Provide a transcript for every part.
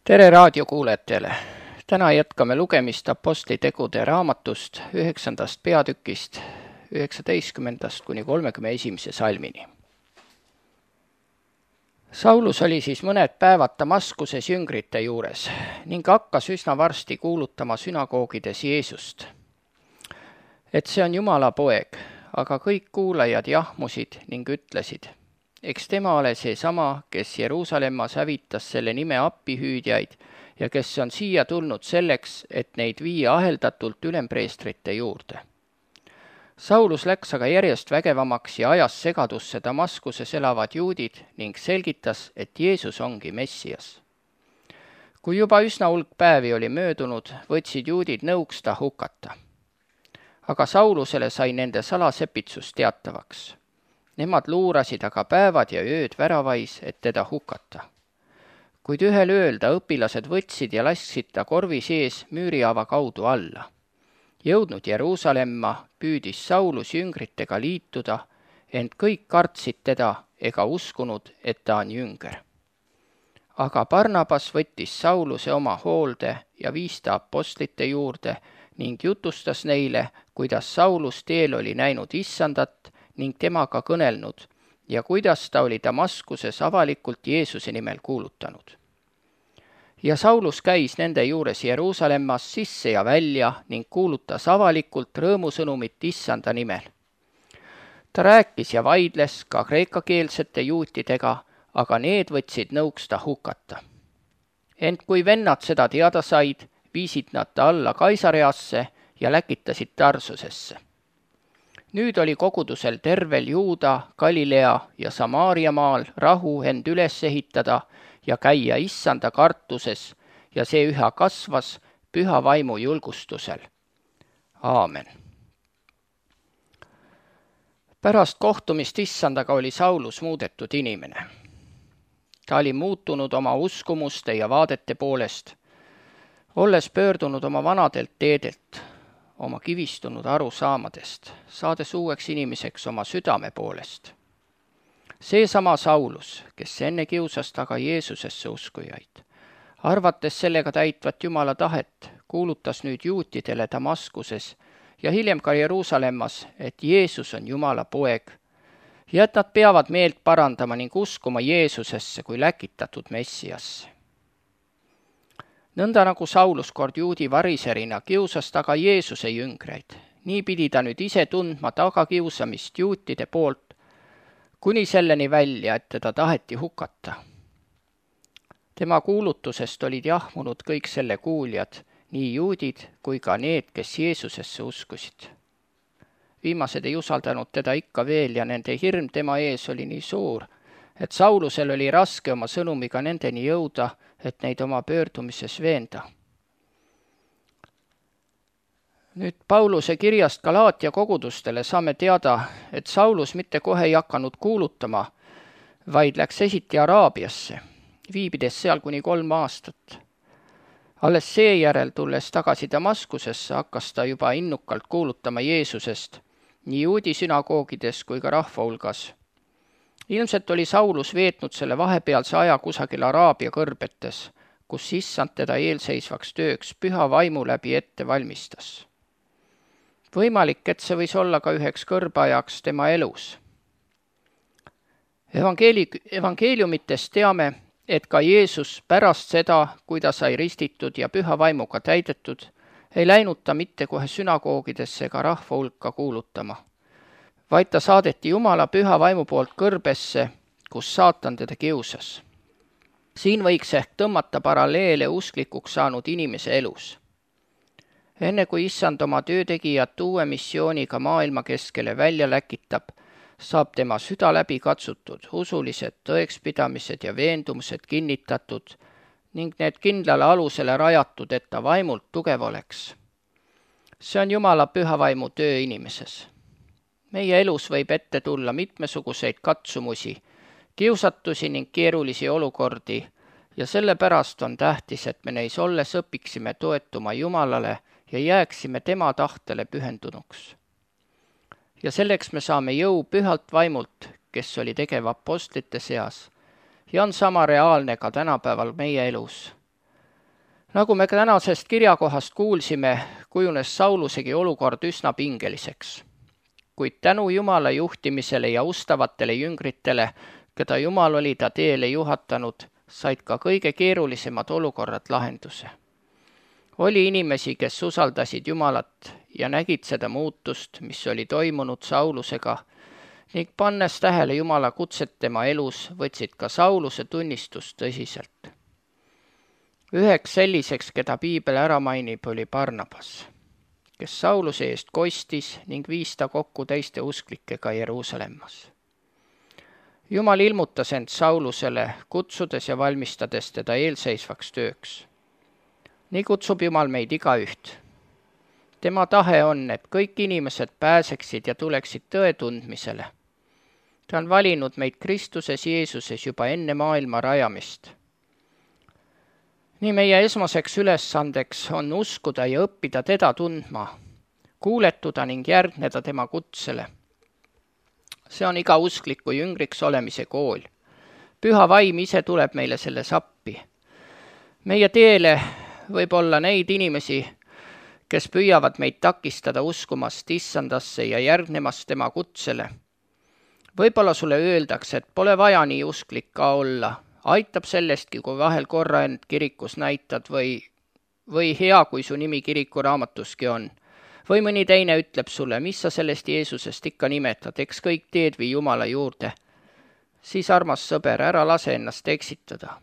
Tere raadiokuulajatele! Täna jätkame lugemist Apostlitegude raamatust 9. peatükist 19. kuni 31. salmini. Saulus oli siis mõned päevad Damaskuses jüngrite juures ning hakkas üsna varsti kuulutama sünagoogides Jeesust, et see on Jumala poeg, aga kõik kuulajad jahmusid ning ütlesid: eks tema ole seesama, kes Jeruusalemmas hävitas selle nime appihüüdjaid ja kes on siia tulnud selleks, et neid viia aheldatult ülempreestrite juurde. Saulus läks aga järjest vägevamaks ja ajas segadusse Damaskuses elavad juudid ning selgitas, et Jeesus ongi Messias. Kui juba üsna hulk päevi oli möödunud, võtsid juudid nõuks ta hukata. Aga Saulusele sai nende salasepitsus teatavaks. Nemad luurasid aga päevad ja ööd väravais, et teda hukata. Kuid ühel ööl ta õpilased võtsid ja lasksid ta korvi sees müürihaava kaudu alla. Jõudnud Jeruusalemma, püüdis Saulus jüngritega liituda, ent kõik kartsid teda ega uskunud, et ta on jünger. Aga Barnabas võttis Sauluse oma hoolde ja viis ta apostlite juurde ning jutustas neile, kuidas Saulus teel oli näinud Issandat ning temaga kõnelnud ja kuidas ta oli Damaskuses avalikult Jeesuse nimel kuulutanud. Ja Saulus käis nende juures Jeruusalemmas sisse ja välja ning kuulutas avalikult rõõmusõnumit Issanda nimel. Ta rääkis ja vaidles ka kreekakeelsete juutidega, aga need võtsid nõuks ta hukata. Ent kui vennad seda teada said, viisid nad ta alla Kaisareasse ja läkitasid Tarsusesse. Nüüd oli kogudusel tervel Juuda, Galilea ja Samaaria maal rahu end üles ehitada ja käia Issanda kartuses ja see üha kasvas püha vaimu julgustusel. Aamen. Pärast kohtumist Issandaga oli Saulus muudetud inimene. Ta oli muutunud oma uskumuste ja vaadete poolest, olles pöördunud oma vanadelt teedelt, oma kivistunud arusaamadest, saades uueks inimeseks oma südame poolest. Seesama Saulus, kes enne kiusas taga Jeesusesse uskujaid, arvates sellega täitvat Jumala tahet, kuulutas nüüd juutidele Damaskuses ja hiljem ka Jeruusalemmas, et Jeesus on Jumala poeg ja et nad peavad meelt parandama ning uskuma Jeesusesse kui läkitatud Messiasse. Nõnda nagu Saulus kord juudi variserina kiusas taga Jeesuse jüngreid, nii pidi ta nüüd ise tundma tagakiusamist juutide poolt, kuni selleni välja, et teda taheti hukata. Tema kuulutusest olid jahmunud kõik selle kuuljad, nii juudid kui ka need, kes Jeesusesse uskusid. Viimased ei usaldanud teda ikka veel ja nende hirm tema ees oli nii suur, et Saulusel oli raske oma sõnumiga nendeni jõuda, et neid oma pöördumises veenda. Nüüd Pauluse kirjast Galaatia kogudustele saame teada, et Saulus mitte kohe ei hakanud kuulutama, vaid läks esiti Araabiasse, viibides seal kuni 3 aastat. Alles seejärel tulles tagasi Damaskusesse hakkas ta juba innukalt kuulutama Jeesusest, nii juudi sünagoogides kui ka rahva hulgas. Ilmselt oli Saulus veetnud selle vahepealse aja kusagil Araabia kõrbetes, kus Issand teda eelseisvaks tööks püha vaimu läbi ette valmistas. Võimalik, et see võis olla ka üheks kõrbeajaks tema elus. Evangeeliumitest teame, et ka Jeesus pärast seda, kui ta sai ristitud ja püha vaimuga täidetud, ei läinud ta mitte kohe sünagoogidesse ega rahva hulka kuulutama, vaid ta saadeti Jumala püha vaimu poolt kõrbesse, kus saatan teda kiusas. Siin võiks ehk tõmmata paralleele usklikuks saanud inimese elus. Enne kui Issand oma töötegijat uue missiooniga maailma keskele välja läkitab, saab tema süda läbi katsutud, usulised tõekspidamised ja veendumused kinnitatud ning need kindlale alusele rajatud, et ta vaimult tugev oleks. See on Jumala püha vaimu töö inimeses. Meie elus võib ette tulla mitmesuguseid katsumusi, kiusatusi ning keerulisi olukordi ja sellepärast on tähtis, et me neis olles õpiksime toetuma Jumalale ja jääksime tema tahtele pühendunuks. Ja selleks me saame jõu pühalt vaimult, kes oli tegev apostlite seas ja on sama reaalne ka tänapäeval meie elus. Nagu me tänasest kirjakohast kuulsime, kujunes Saulusegi olukord üsna pingeliseks. Kuid tänu Jumala juhtimisele ja ustavatele jüngritele, keda Jumal oli ta teele juhatanud, said ka kõige keerulisemad olukorrad lahenduse. Oli inimesi, kes usaldasid Jumalat ja nägid seda muutust, mis oli toimunud Saulusega, ning pannes tähele Jumala kutset tema elus, võtsid ka Sauluse tunnistust tõsiselt. Üheks selliseks, keda piibel ära mainib, oli Barnabas, kes Sauluse eest kostis ning viis ta kokku teiste usklikega Jeruusalemmas. Jumal ilmutas end Saulusele, kutsudes ja valmistades teda eelseisvaks tööks. Nii kutsub Jumal meid igaüht. Tema tahe on, et kõik inimesed pääseksid ja tuleksid tõe tundmisele. Ta on valinud meid Kristuses Jeesuses juba enne maailma rajamist. Nii meie esmaseks ülesandeks on uskuda ja õppida teda tundma, kuuletuda ning järgneda tema kutsele. See on iga uskliku jüngriks olemise kool. Püha vaim ise tuleb meile selles appi. Meie teele võib olla neid inimesi, kes püüavad meid takistada uskumast issandasse ja järgnemast tema kutsele. Võib-olla sulle öeldakse, et pole vaja nii usklik ka olla. Aitab sellestki, kui vahel korra end kirikus näitad või hea, kui su nimi kirikuraamatuski on. Või mõni teine ütleb sulle, mis sa sellest Jeesusest ikka nimetad, eks kõik teed vii Jumala juurde. Siis, armas sõber, ära lase ennast eksitada.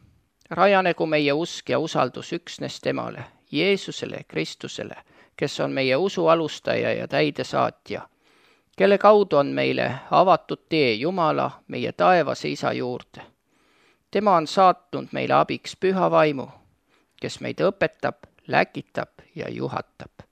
Rajanegu meie usk ja usaldus üksnes temale, Jeesusele, Kristusele, kes on meie usu alustaja ja täidesaatja, kelle kaudu on meile avatud tee Jumala, meie taevase Isa juurde. Tema on saatnud meile abiks püha vaimu, kes meid õpetab, läkitab ja juhatab.